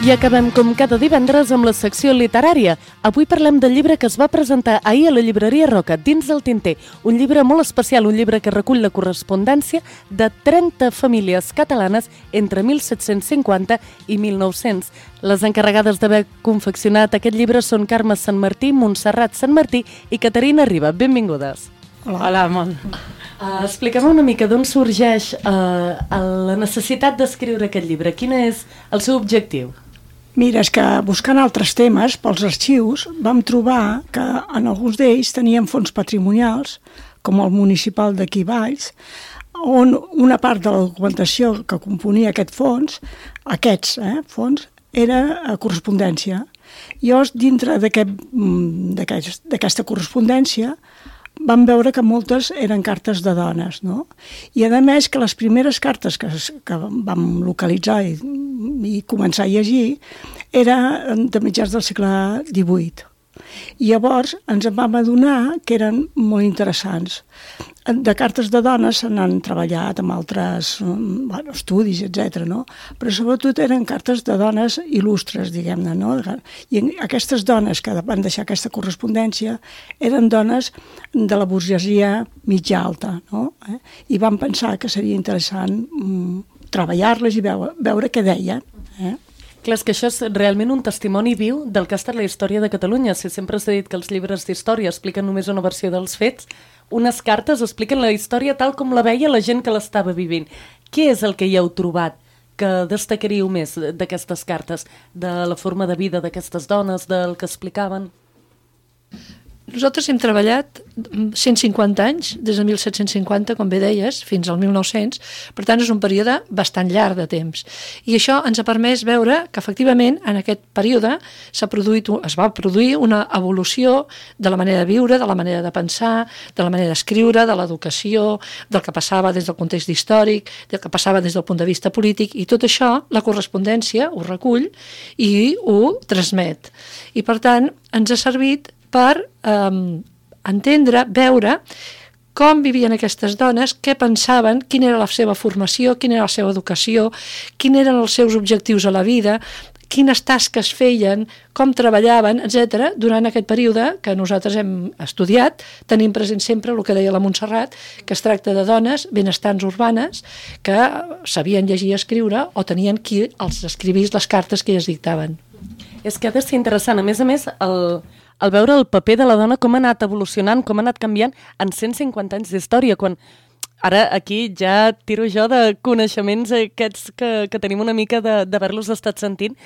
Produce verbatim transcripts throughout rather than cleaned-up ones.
I acabem com cada divendres amb la secció literària. Avui parlem del llibre que es va presentar ahir a la llibreria Roca, Dins del tinter. Un llibre molt especial, un llibre que recull la correspondència de trenta famílies catalanes entre mil set-cents cinquanta i mil nou-cents. Les encarregades d'haver confeccionat aquest llibre són Carme Sant Martí, Montserrat Sant Martí i Caterina Riba. Benvingudes. Hola, Hola molt. Uh, Explica'm una mica d'on sorgeix uh, la necessitat d'escriure aquest llibre. Quin és el seu objectiu? Mira, és que buscant altres temes pels arxius vam trobar que en alguns d'ells tenien fons patrimonials, com el municipal d'aquí Valls, on una part de la documentació que componia aquest fons, aquests eh, fons, era correspondència. Llavors, dintre d'aquesta correspondència, vam veure que moltes eren cartes de dones, no? I a més que les primeres cartes que, que vam localitzar i, i començar a llegir eren de mitjans del segle divuit. I llavors ens en vam adonar que eren molt interessants. De cartes de dones se n'han treballat amb altres bueno, estudis, etcètera, no? Però sobretot eren cartes de dones il·lustres, diguem-ne, no? I aquestes dones que van deixar aquesta correspondència eren dones de la burgesia mitja alta, no? I vam pensar que seria interessant mm, treballar-les i veure, veure què deien, eh? Clar, és que això és realment un testimoni viu del que ha estat la història de Catalunya. Si sempre s'ha dit que els llibres d'història expliquen només una versió dels fets, unes cartes expliquen la història tal com la veia la gent que l'estava vivint. Què és el que hi heu trobat que destacaríeu més d'aquestes cartes? De la forma de vida d'aquestes dones, del que explicaven? Nosaltres hem treballat cent cinquanta anys, des de mil set-cents cinquanta, com bé deies, fins al mil nou-cents, per tant és un període bastant llarg de temps. I això ens ha permès veure que efectivament en aquest període s'ha produït, es va produir una evolució de la manera de viure, de la manera de pensar, de la manera d'escriure, de l'educació, del que passava des del context històric, del que passava des del punt de vista polític, i tot això la correspondència ho recull i ho transmet. I per tant ens ha servit per eh, entendre, veure com vivien aquestes dones, què pensaven, quina era la seva formació, quina era la seva educació, quins eren els seus objectius a la vida, quines tasques feien, com treballaven, etcètera, durant aquest període que nosaltres hem estudiat, tenim present sempre el que deia la Montserrat, que es tracta de dones benestants urbanes que sabien llegir i escriure o tenien qui els escrivís les cartes que elles dictaven. És que ha de ser interessant. A més a més, el... el veure el paper de la dona, com ha anat evolucionant, com ha anat canviant en cent cinquanta anys d'història, quan ara aquí ja tiro jo de coneixements aquests que, que tenim una mica d'haver-los estat sentint,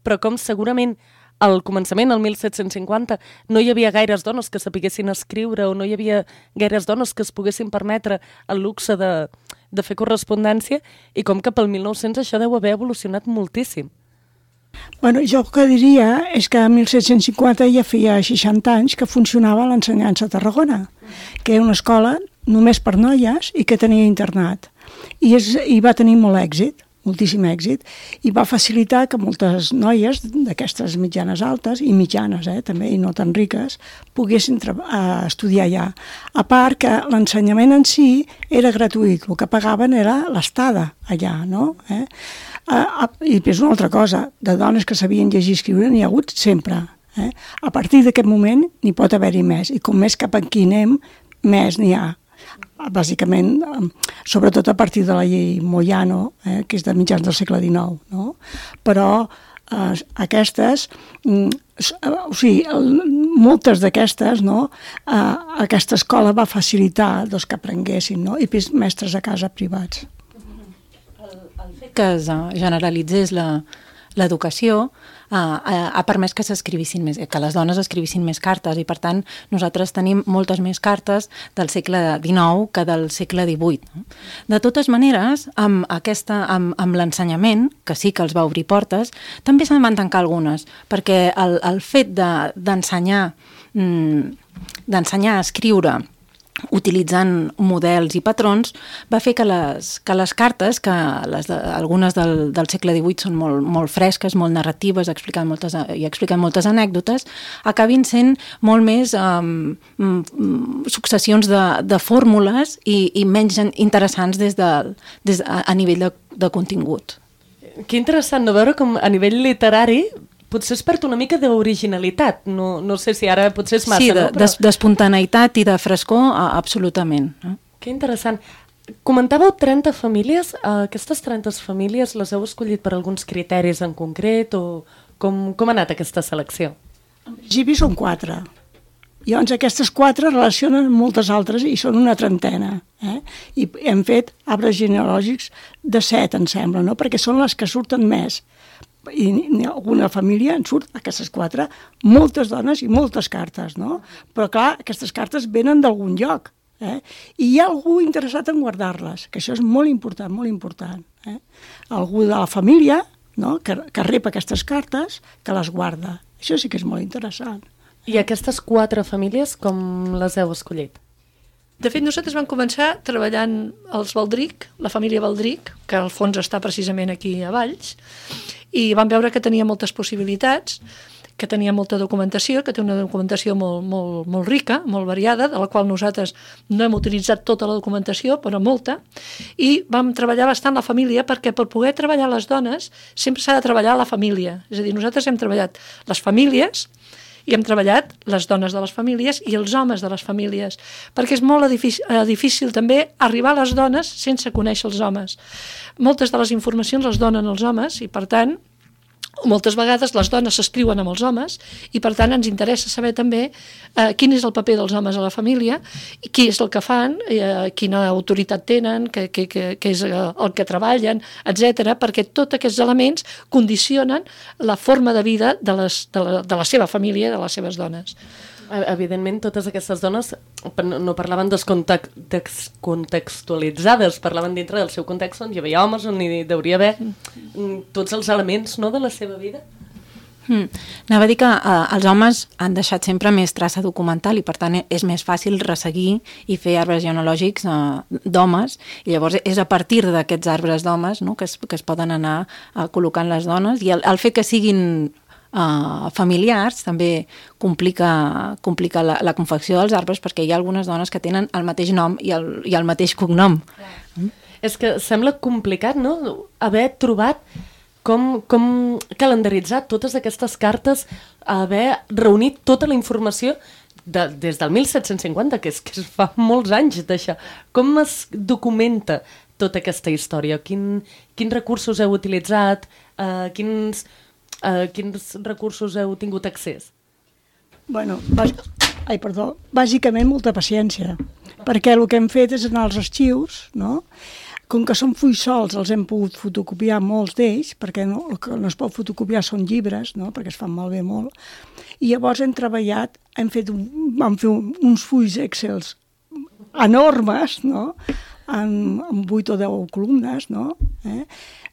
però com segurament al començament, al mil set-cents cinquanta, no hi havia gaires dones que sapiguessin escriure o no hi havia gaires dones que es poguessin permetre el luxe de, de fer correspondència, i com que pel mil nou-cents això deu haver evolucionat moltíssim. Bueno, jo el que diria és que a mil set-cents cinquanta ja feia seixanta anys que funcionava l'ensenyança a Tarragona, que era una escola només per noies i que tenia internat. I, és, i va tenir molt èxit, moltíssim èxit, i va facilitar que moltes noies d'aquestes mitjanes altes, i mitjanes eh, també, i no tan riques, poguessin uh, estudiar allà. A part que l'ensenyament en si era gratuït, el que pagaven era l'estada allà, no? Eh? Uh, I és una altra cosa, de dones que sabien llegir i escriure n'hi ha hagut sempre. Eh? A partir d'aquest moment n'hi pot haver-hi més, i com més cap aquí anem, més n'hi ha. Bàsicament, sobretot a partir de la llei Moyano, eh, que és de mitjans del segle dinou, no? Però eh, aquestes, mm, o sigui, moltes d'aquestes, no? Eh, aquesta escola va facilitar doncs, que aprenguessin, no? I mestres a casa privats. El fet que es generalitzés l'educació uh, ha permès que s'escrivissin més, que les dones escrivissin més cartes, i per tant nosaltres tenim moltes més cartes del segle dinou que del segle divuit. De totes maneres, amb, aquesta, amb, amb l'ensenyament, que sí que els va obrir portes, també se'n van tancar algunes, perquè el, el fet d'ensenyar de, d'ensenyar a escriure utilitzant models i patrons, va fer que les, que les cartes, que les de, algunes del, del segle divuit són molt, molt fresques, molt narratives, expliquen moltes, i expliquen moltes anècdotes, acabin sent molt més um, successions de, de fórmules i, i menys interessants des de, des, a, a nivell de, de contingut. Que interessant no veure com a nivell literari potser es perd una mica d'originalitat. No, no sé si ara potser és massa, sí, de, no? Però... d'espontaneïtat i de frescor, absolutament. No? Que interessant. Comentàveu trenta famílies. Aquestes trenta famílies les heu escollit per alguns criteris en concret o com, com ha anat aquesta selecció? En principi són quatre. I llavors aquestes quatre relacionen amb moltes altres i són una trentena. Eh? I hem fet arbres genealògics de set, em sembla, no? Perquè són les que surten més. I en alguna família en surt aquestes quatre, moltes dones i moltes cartes, no? Però clar, aquestes cartes venen d'algun lloc. Eh? I hi ha algú interessat en guardar-les, que això és molt important, molt important. Eh? Algú de la família, no? que, que rep aquestes cartes, que les guarda. Això sí que és molt interessant. I aquestes quatre famílies, com les heu escollit? De fet, nosaltres vam començar treballant els Baldric, la família Baldric, que al fons està precisament aquí a Valls, i vam veure que tenia moltes possibilitats, que tenia molta documentació, que té una documentació molt, molt, molt rica, molt variada, de la qual nosaltres no hem utilitzat tota la documentació, però molta, i vam treballar bastant la família, perquè per poder treballar les dones sempre s'ha de treballar la família. És a dir, nosaltres hem treballat les famílies i hem treballat les dones de les famílies i els homes de les famílies, perquè és molt difícil, eh, difícil també arribar a les dones sense conèixer els homes. Moltes de les informacions les donen els homes i, per tant, moltes vegades les dones s'escriuen amb els homes i per tant ens interessa saber també eh, quin és el paper dels homes a la família, qui és el que fan, eh, quina autoritat tenen, què, què, què, què és el que treballen, etcètera, perquè tots aquests elements condicionen la forma de vida de, les, de, la, de la seva família i de les seves dones. Evidentment, totes aquestes dones no parlaven descontextualitzades, parlaven dintre del seu context on hi havia homes, on hi hauria haver tots els elements, no?, de la seva vida. Hmm. Anava a dir que eh, els homes han deixat sempre més traça documental i per tant és més fàcil resseguir i fer arbres genealògics eh, d'homes, i llavors és a partir d'aquests arbres d'homes, no?, que, es, que es poden anar eh, col·locant les dones, i el, el fet que siguin Uh, familiars també complica, complica la, la confecció dels arbres, perquè hi ha algunes dones que tenen el mateix nom i el, i el mateix cognom. Mm. És que sembla complicat, no?, haver trobat com, com calendaritzar totes aquestes cartes, haver reunit tota la informació de, des del mil set-cents cinquanta, que és que es fa molts anys d'això. Com es documenta tota aquesta història? Quin, quins recursos heu utilitzat? Uh, quins... Uh, quins recursos heu tingut accés? Bueno, bàs... Ai, perdó, bàsicament molta paciència, perquè el que hem fet és anar als arxius, no? Com que són fulls solts, els hem pogut fotocopiar molts d'ells, perquè no, el que no es pot fotocopiar són llibres, no?, perquè es fan malbé molt, i llavors hem treballat, hem fet un, vam fer un, uns fulls Excels enormes, no?, en, en vuit o deu columnes, no?, eh?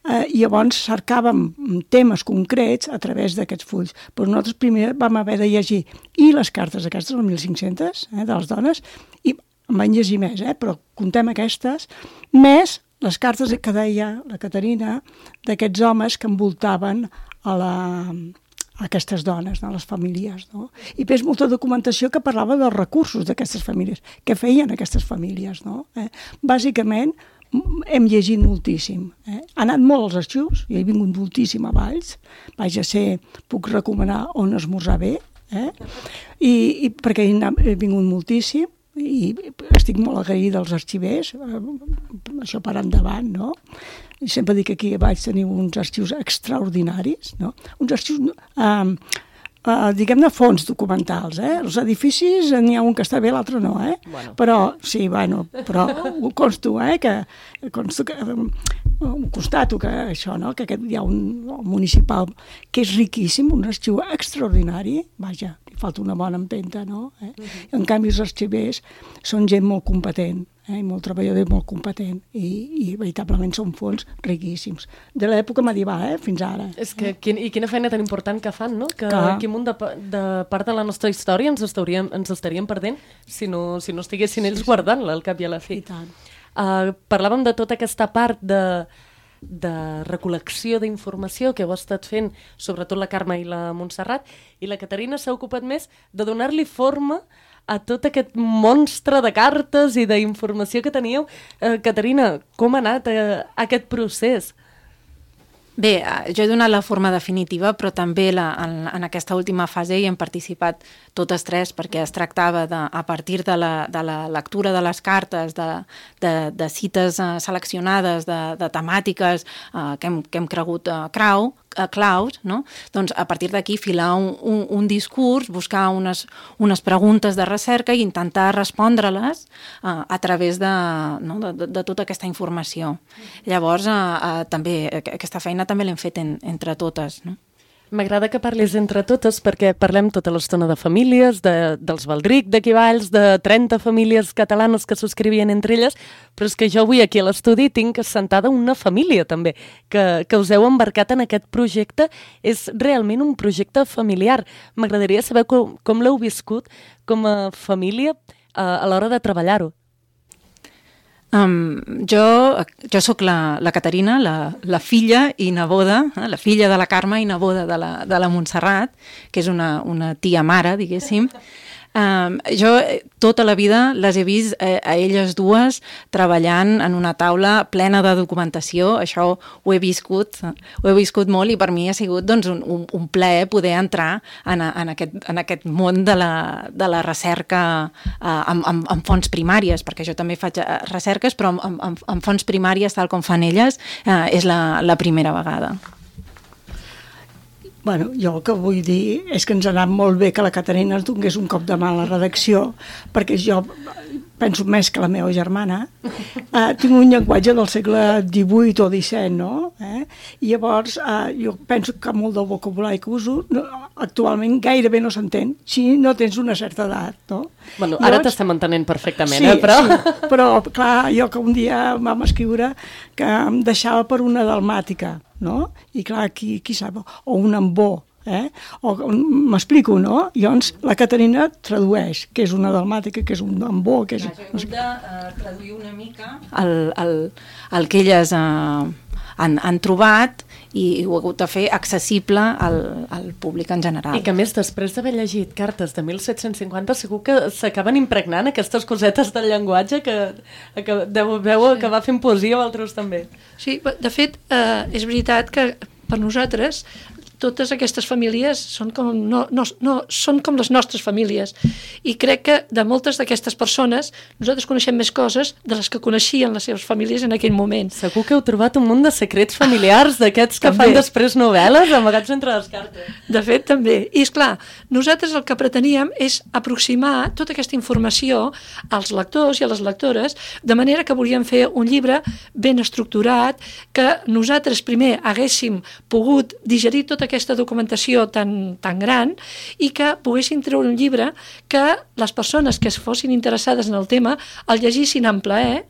Eh, i llavors cercàvem temes concrets a través d'aquests fulls. Però nosaltres primer vam haver de llegir i les cartes aquestes, les mil cinc-centes, eh, de les dones, i en van llegir més, eh, però contem aquestes, més les cartes que deia la Caterina d'aquests homes que envoltaven a, la, a aquestes dones, no, les famílies. No? I després molta documentació que parlava dels recursos d'aquestes famílies, què feien aquestes famílies. No? Eh? Bàsicament, hem llegit moltíssim. Eh? Ha anat molt als arxius, i he vingut moltíssim a Valls, vaig a ser, puc recomanar on esmorzar bé, eh? I, i perquè he, anat, he vingut moltíssim, i estic molt agraïda als arxivers, eh, això per endavant, no? I sempre dic que aquí a Valls teniu uns arxius extraordinaris, no? Uns arxius... Eh, Uh, diguem-ne, fons documentals, eh? Els edificis, n'hi ha un que està bé, l'altre no, eh? Bueno. Però, sí, bueno, però ho consto, eh? Que, consto que, um, constato que això, no? Que aquest, hi ha un municipal que és riquíssim, un arxiu extraordinari, vaja, li falta una bona empenta, no? Eh? Uh-huh. En canvi, els arxivers són gent molt competent, eh? molt treballador i molt competent, i, i veritablement són fons riquíssims. De l'època medieval, eh? Fins ara. És que, quin, i quina feina tan important que fan, no? Que aquí un de, de part de la nostra història ens estaríem, ens estaríem perdent si no, si no estiguessin ells guardant-la al cap i a la fi. I tant. Uh, parlàvem de tota aquesta part de, de recol·lecció d'informació que heu estat fent, sobretot la Carme i la Montserrat, i la Caterina s'ha ocupat més de donar-li forma a tot aquest monstre de cartes i d'informació que teníeu. Uh, Caterina, com ha anat uh, aquest procés? Bé, jo he donat la forma definitiva, però també la, en, en aquesta última fase hi hem participat totes tres, perquè es tractava de, a partir de la, de la lectura de les cartes, de, de, de cites uh, seleccionades, de, de temàtiques uh, que, hem, que hem cregut uh, crau, uh, claus, no? Doncs a partir d'aquí filar un, un, un discurs, buscar unes, unes preguntes de recerca i intentar respondre-les uh, a través de, no? de, de, de tota aquesta informació. Llavors, uh, uh, també aquesta feina també l'hem fet en, entre totes, no? M'agrada que parlis entre totes perquè parlem tota l'estona de famílies, de, dels Baldric, d'aquí Valls, de trenta famílies catalanes que subscrivien entre elles, però és que jo avui aquí a l'estudi tinc assentada una família també, que, que us heu embarcat en aquest projecte. És realment un projecte familiar. M'agradaria saber com, com l'heu viscut com a família a, a l'hora de treballar-ho. Um, jo jo sóc la, la Caterina, la, la filla i neboda, eh, la filla de la Carme i neboda de la, de la Montserrat, que és una, una tia mare, diguéssim. Um, jo tota la vida les he vist eh, a elles dues treballant en una taula plena de documentació. Això ho he viscut, ho he viscut molt i per mi ha sigut doncs, un, un, un plaer poder entrar en, en, aquest, en aquest món de la, de la recerca eh, amb, amb, amb fonts primàries, perquè jo també faig recerques, però amb, amb, amb fonts primàries tal com fan elles eh, és la, la primera vegada. Bueno, jo el que vull dir és que ens ha anat molt bé que la Caterina es donés un cop de mà a la redacció, perquè jo penso més que la meva germana, eh, tinc un llenguatge del segle divuit o disset, no? Eh? I llavors eh, jo penso que molt del vocabulari que uso no, actualment gairebé no s'entén si no tens una certa edat, no? Bueno, ara llavors, t'estem entenent perfectament, sí, eh? Però... Sí, però clar, jo que un dia vam escriure que em deixava per una dalmàtica, no? I clar, qui, qui sap, o un ambó, eh? O m'explico, no? Llavors la Caterina tradueix què és una dalmàtica, què és un ambó, què és... Clar, jo he hagut de uh, traduir una mica el, el, el que elles uh, han, han trobat i ho he hagut de fer accessible al, al públic en general. I que més, després d'haver llegit cartes de mil set-cents cinquanta, segur que s'acaben impregnant aquestes cosetes del llenguatge que, que deveu sí. acabar fent poesia o altres també. Sí, de fet, eh, és veritat que per nosaltres totes aquestes famílies són com, no, no, no, són com les nostres famílies i crec que de moltes d'aquestes persones nosaltres coneixem més coses de les que coneixien les seves famílies en aquell moment. Segur que heu trobat un munt de secrets familiars d'aquests que fan després novel·les amagats entre les cartes. De fet, també. I és clar, nosaltres el que preteníem és aproximar tota aquesta informació als lectors i a les lectores, de manera que volíem fer un llibre ben estructurat, que nosaltres primer haguéssim pogut digerir tota aquesta documentació tan, tan gran i que poguessin treure un llibre que les persones que es fossin interessades en el tema el llegissin amb plaer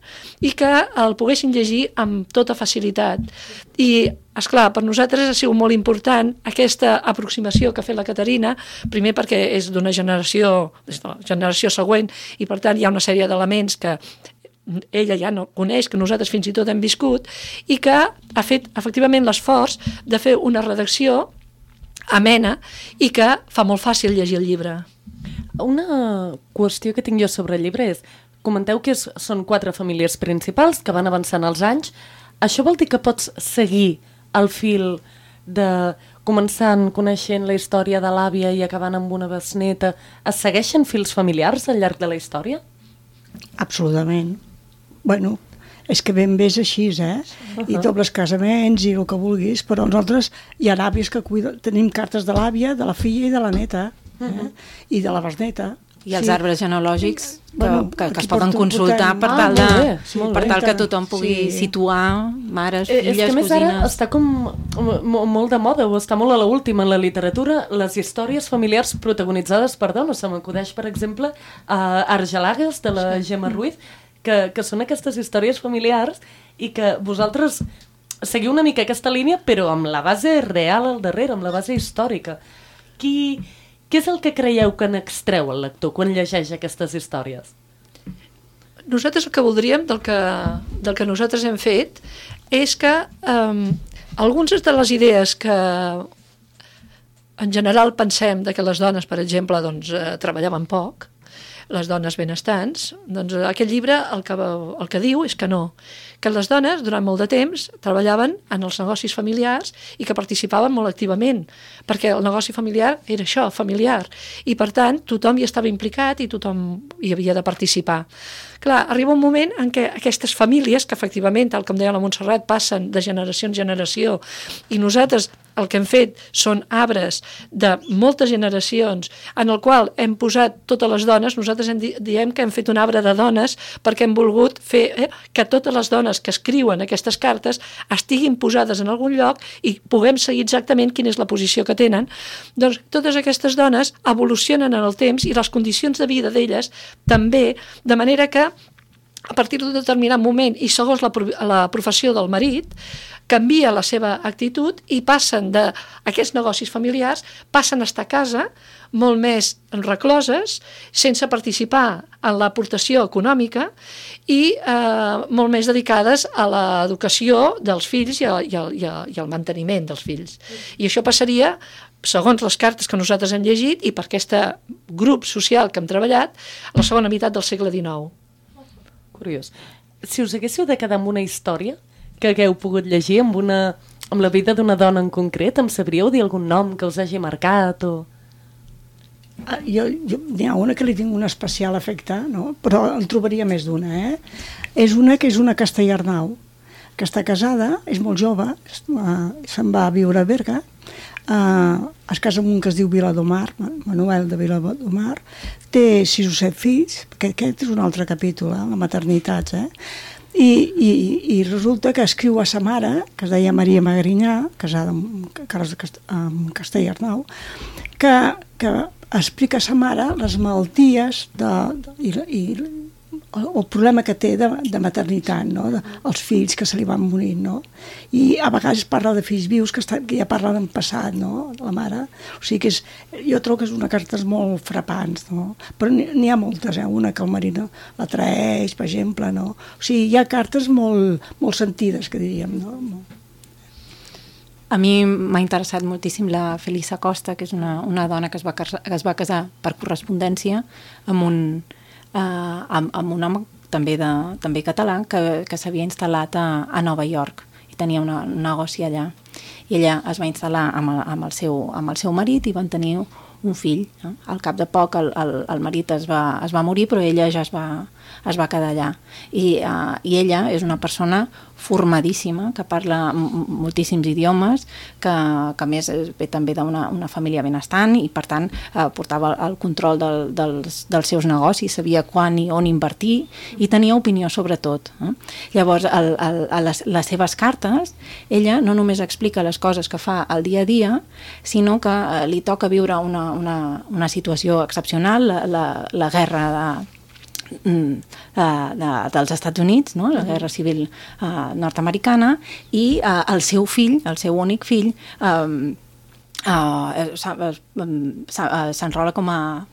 i que el poguessin llegir amb tota facilitat. I, esclar, per nosaltres ha sigut molt important aquesta aproximació que ha fet la Caterina, primer perquè és d'una generació, és de la generació següent, i per tant hi ha una sèrie d'elements que ella ja no coneix, que nosaltres fins i tot hem viscut, i que ha fet efectivament l'esforç de fer una redacció amena i que fa molt fàcil llegir el llibre. Una qüestió que tinc jo sobre el llibre és, comenteu que és, són quatre famílies principals que van avançant els anys. Això vol dir que pots seguir el fil de començant coneixent la història de l'àvia i acabant amb una besneta? Es segueixen fils familiars al llarg de la història? Absolutament. Bueno, és que ben bé és així, eh? Uh-huh. I dobles casaments i el que vulguis, però nosaltres hi ha àvies que cuiden, tenim cartes de l'àvia, de la filla i de la neta, eh? Uh-huh. I de la besneta. I els sí. arbres genealògics que, bueno, que, que es poden consultar per tal, de, ah, bé, sí, per tal que tothom pugui sí. situar mares, filles, cosines... És que més ara està com molt de moda, o està molt a l'última en la literatura, les històries familiars protagonitzades per dones. Se m'acudeix, per exemple, a Argelagues, de la Gemma Ruiz, que, que són aquestes històries familiars i que vosaltres seguiu una mica aquesta línia, però amb la base real al darrere, amb la base històrica. Qui... Què és el que creieu que n'extreu el lector quan llegeix aquestes històries? Nosaltres el que voldríem del que, del que nosaltres hem fet és que um, algunes de les idees que en general pensem de que les dones, per exemple, doncs, eh, treballaven poc, les dones benestants, doncs aquest llibre el que, el que diu és que no, que les dones durant molt de temps treballaven en els negocis familiars i que participaven molt activament, perquè el negoci familiar era això, familiar, i per tant tothom hi estava implicat i tothom hi havia de participar. Clar, arriba un moment en què aquestes famílies, que efectivament, tal com deia la Montserrat, passen de generació en generació, i nosaltres el que hem fet són arbres de moltes generacions en el qual hem posat totes les dones, nosaltres hem di diem que hem fet un arbre de dones perquè hem volgut fer eh, que totes les dones que escriuen aquestes cartes estiguin posades en algun lloc i puguem seguir exactament quina és la posició que tenen. Doncs totes aquestes dones evolucionen en el temps i les condicions de vida d'elles també, de manera que a partir d'un determinat moment i segons la, la professió del marit, canvia la seva actitud i passen d'aquests negocis familiars, passen a estar a casa molt més recloses, sense participar en l'aportació econòmica i eh, molt més dedicades a l'educació dels fills i, a, i, a, i, a, i al manteniment dels fills. I això passaria, segons les cartes que nosaltres hem llegit i per aquest grup social que hem treballat, a la segona meitat del segle dinou. Curiós. Si us haguéssiu de quedar amb una història que hagueu pogut llegir amb, una, amb la vida d'una dona en concret, em sabríeu dir algun nom que us hagi marcat? O... Ah, jo, jo, n'hi ha una que li tinc un especial efecte, no? Però en trobaria més d'una. Eh? És una que és una Castellarnau, que està casada, és molt jove, se'n va a viure a Berga, Uh, es casa amb un que es diu Viladomar, Manuel de Viladomar, té sis o set fills, perquè aquest és un altre capítol, eh, la maternitat, eh? I, i, i resulta que escriu a sa mare, que es deia Maria Magrinyà, casada amb Carles de Cast amb Castellarnau, que, que explica a sa mare les malalties de, de, i, i el, el problema que té de, de maternitat, no? De, els fills que se li van morir, no? I a vegades parla de fills vius que, està, que ja parla en passat, no? La mare. O sigui que és, jo trobo que és una carta molt frapants, no? Però n'hi ha moltes, eh? Una que el marit la traeix, per exemple, no? O sigui, hi ha cartes molt, molt sentides, que diríem, no? A mi m'ha interessat moltíssim la Felisa Costa, que és una, una dona que es va, que es va casar per correspondència amb un, uh, amb, amb un home també, de, també català que, que s'havia instal·lat a, a Nova York i tenia una, un negoci allà. I ella es va instal·lar amb el, amb el, seu, amb el seu marit i van tenir un fill. No? Al cap de poc el, el, el marit es va, es va morir, però ella ja es va, es va quedar allà. I, uh, I ella és una persona formadíssima, que parla moltíssims idiomes, que, que a més ve també d'una una família benestant i per tant eh, portava el control del, dels, dels seus negocis, sabia quan i on invertir i tenia opinió sobre tot. Eh? Llavors, el, el, a les, les seves cartes, ella no només explica les coses que fa al dia a dia, sinó que eh, li toca viure una, una, una situació excepcional, la, la, la guerra de De, de, dels Estats Units, no? La guerra civil uh, nord-americana, i uh, el seu fill, el seu únic fill, um, uh, s'enrola com a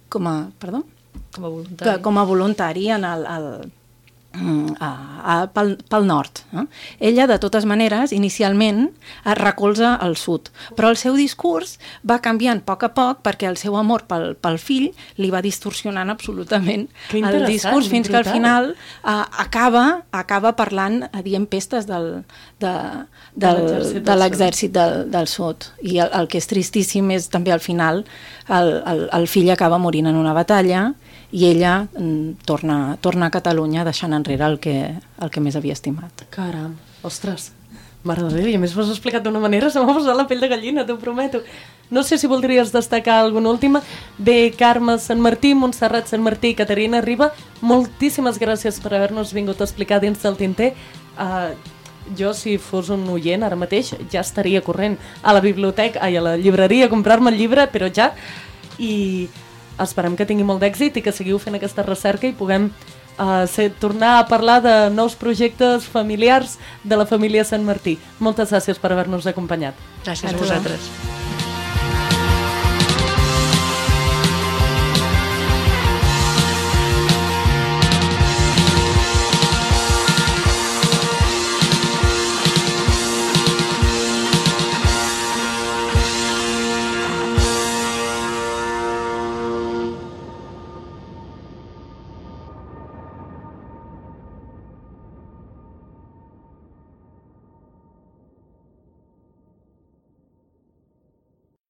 com a, perdó? Com a voluntari. Com a voluntari en el, el A, a, pel, pel nord. Eh? Ella, de totes maneres, inicialment es recolza al sud, però el seu discurs va canviant a poc a poc perquè el seu amor pel, pel fill li va distorsionant absolutament el discurs fins que al final uh, acaba, acaba parlant, dient pestes del, de, del, de l'exèrcit del, del sud. I el, el que és tristíssim és també al final el, el, el fill acaba morint en una batalla i ella mm, torna, torna a Catalunya deixant enrere el que, el que més havia estimat. Caram, ostres, mare de Déu, i a més m'ho has explicat d'una manera, se m'ha posat la pell de gallina, t'ho prometo. No sé si voldries destacar alguna última. Bé, Carme Sant Martí, Montserrat Sant Martí i Caterina Riba, moltíssimes gràcies per haver-nos vingut a explicar dins del tinter. Uh, jo, si fos un oient ara mateix, ja estaria corrent a la biblioteca, ai, a la llibreria a comprar-me el llibre, però ja... I esperem que tingui molt d'èxit i que seguiu fent aquesta recerca i puguem uh, ser, tornar a parlar de nous projectes familiars de la família Sant Martí. Moltes gràcies per haver-nos acompanyat. Gràcies a vosaltres.